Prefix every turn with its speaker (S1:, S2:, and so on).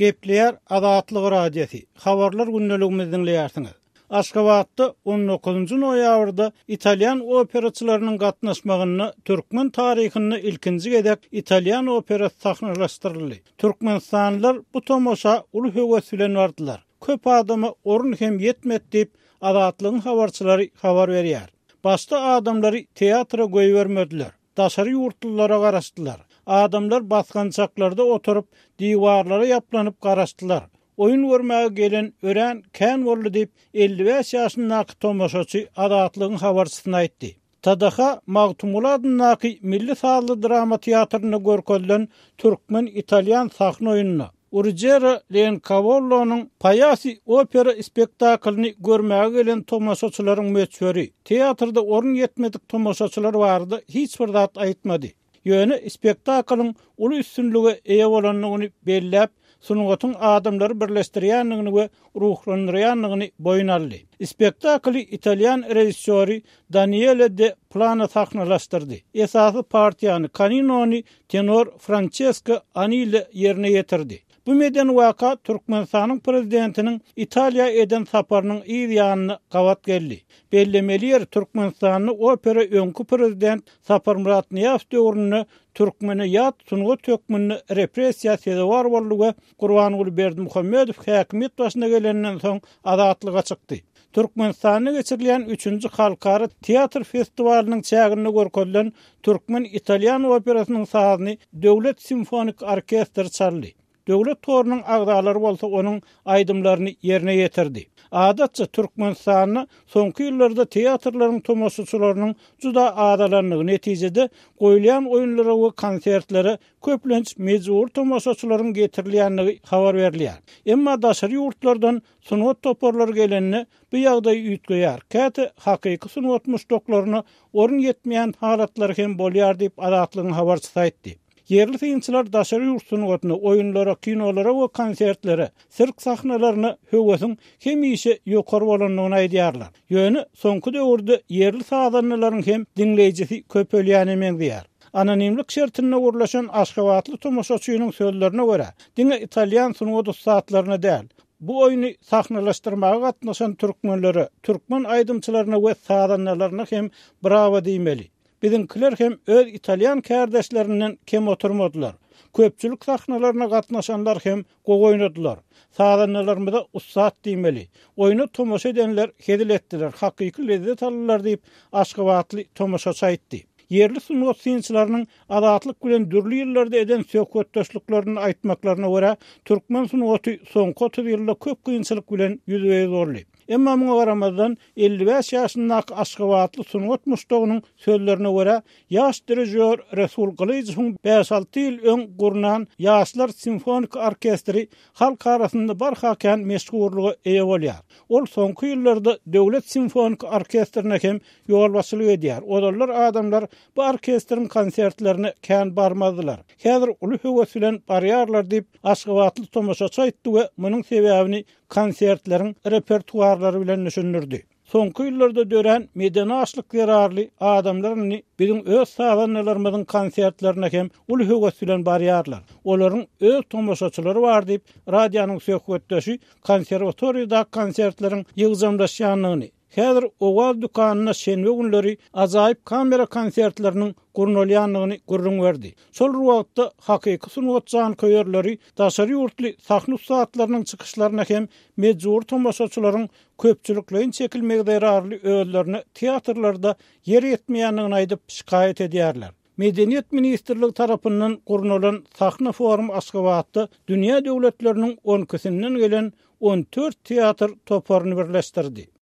S1: Gepleýär Azatlyk Radiosy, Habarlar gündeligimizi diňleýärsiňiz. Aşgabatda on dokuzynjy noýabrda italýan operaçylarynyň gatnaşmagynda türkmen taryhynda ilkinji gezek italýan operasy sahnalaşdyryldy. Türkmenistanlylar bu tomaşa uly höwes bilen bardylar. Köp adama orun hem ýetmedi diýip, Azatlygyň habarçylary habar berýär. Başda adamlary teatra goýbermediler. Daşary ýurtlulara garaşdylar. Adamlar basgançaklarda oturyp, diwarlara ýaplanyp garaşdylar. Oýun görmäge gelen örän kän boldy diýip, 55 ýaşyndaky tomaşaçy Azatlygyň habarçysyna aýtdy. TDH Magtymguly adyndaky milli sazly drama teatrynda görkezilen türkmen-italýan sahna oýnuna, Urujera Leonkawollonyň Paýasy opera spektaklyny görmäge gelen tomaşaçylaryň möçberi, teatrda orun ýetmedik tomaşaçylar barada hiç bir zat aýtmady. Ýöne spektaklyň uly üstünlige eýe bolandygyny belläp, sungatyň adamlary birleşdirýändigini we ruhlandyrýandygyny boýun aldy. Spektakly italýan režissýory Daniele de Plano sahnalaşdyrdy. Esasy partiýany, Kaninony tenor Françesko Anile ýerine ýetirdi. Bu medeni waka Türkmenistanyň Prezidentiniň Italiýa eden saparynyň yz ýanyna gabat geldi. Bellemeli ýeri, Türkmenistanda opera öňki Prezident Saparmyrat Nyýazow döwründe türkmene ýat sungat hökmünde repressiýa sezewar boldy we Gurbanguly Berdimuhamedow häkimiýet başyna gelenden soň azatlyga çykdy. Türkmenistanda geçirilýän üçünji halkara teatr festiwalynyň çäginde görkezilen türkmen-italýan operasynyň sazyny Döwlet simfonik orkestri çaldy. Döwlet horunyň agzalary bolsa onuň aýdymlaryny ýerine ýetirdi. Adatça, Türkmenistanda soňky ýyllarda teatrlaryň tomaşaçylarynyň juda azalandygy, netijede, goýulýan oýunlara we konsertlere köplenç mejbury tomaşaçylaryň getirilýändigi habar berilýär. Emma daşary ýurtlardan Sungat toparlary gelende, bu ýagdaý üýtgeýär. Käte hakyky sungat muşdaklaryna orun ýetmeýän halatlary hem bolýar diýip, Azatlygyň habarçysy aýtdy. Ýerli synçylar daşary ýurt sungatyna, oýunlara, kinolara we konsertlere, sirk sahnalaryna höwesiň hemişe ýokary bolandygyny aýdýarlar. Ýöne soňky döwürde ýerli sazandalaryň hem diňleýjisi köpelýäne meňzeýär. Anonimlik şertinde gürleşen aşgabatly tomaşaçynyň sözlerine görä, diňe italýan sungat ussatlaryna däl, Bu oýny sahnalaşdyrmaga gatnaşan türkmenlere, türkmen aýdymçylaryna we sazandalaryna hem brawo diýmeli. Biziňkiler hem öz italýan kärdeşlerinden kem oturmadylar. Köpçülik sahnalaryna gatnaşanlar hem gowy oýnadylar. Sazandalarymyza ussat diýmeli. Oýna tomaşa edenler hezil etdiler, hakyky lezzet aldylar diýip, aşgabatly tomaşaçy aýtdy. Ýerli sungat synçylarynyň Azatlyk bilen dürli ýyllarda eden söhbetdeşliklerinde aýtmaklaryna görä, türkmen sungaty soňky 30 ýylda köp kynçylyk bilen ýüzbe-ýüz boldy. Emma muňa garamazdan, 55 ýaşyndaky aşgabatly sungat muşdagynyň sözlerine görä, ýaş dirižýor Resul Gylyjowyň bäş-alty ýyl öň gurnan Ýaşlar simfoniki orkestri halk arasynda barha kän meşhurlyga eýe bolýar. Ol soňky ýyllarda Döwlet simfoniki orkestrine hem ýolbaşçylyk edýär. Ozallar adamlar bu orkestriň konsertlerine kän barmazdylar. Häzir uly höwes bilen barýarlar diýip, aşgabatly tomaşaçy aýtdy we munuň sebäbini konsertleriň repertuarlary bilen düşündirdi. Soňky ýyllarda dörän medeni açlyk zerarly adamlar indi biziň öz sazandalarymyzyň konsertlerine hem uly höwes bilen barýarlar. Olaryň öz tomaşaçylary bar diýip, radionyň söhbetdeşi konserwatoriýadaky konsertleriň ýygjamlaşýandygyny, Häzir Owaz dükanynda şenbe günleri ajaýyp kamera konsertleriniň gurnalýandygyny gürrüň berdi. Şol bir wagtda, hakyky sungat janköýerleri daşary ýurtly sahna ussatlarynyň çykyşlaryna hem mejbury tomaşaçylaryň köpçülikleýin çekilmegi zerarly özlerine teatrlarda ýer ýetmeýändigini aýdyp, şikaýat edýärler. Medeniýet ministrligi tarapyndan gurnalan sahna forumy Aşgabatda dünýä döwletleriniň on ikisinden gelen on dört teatr toparyny birleşdirdi.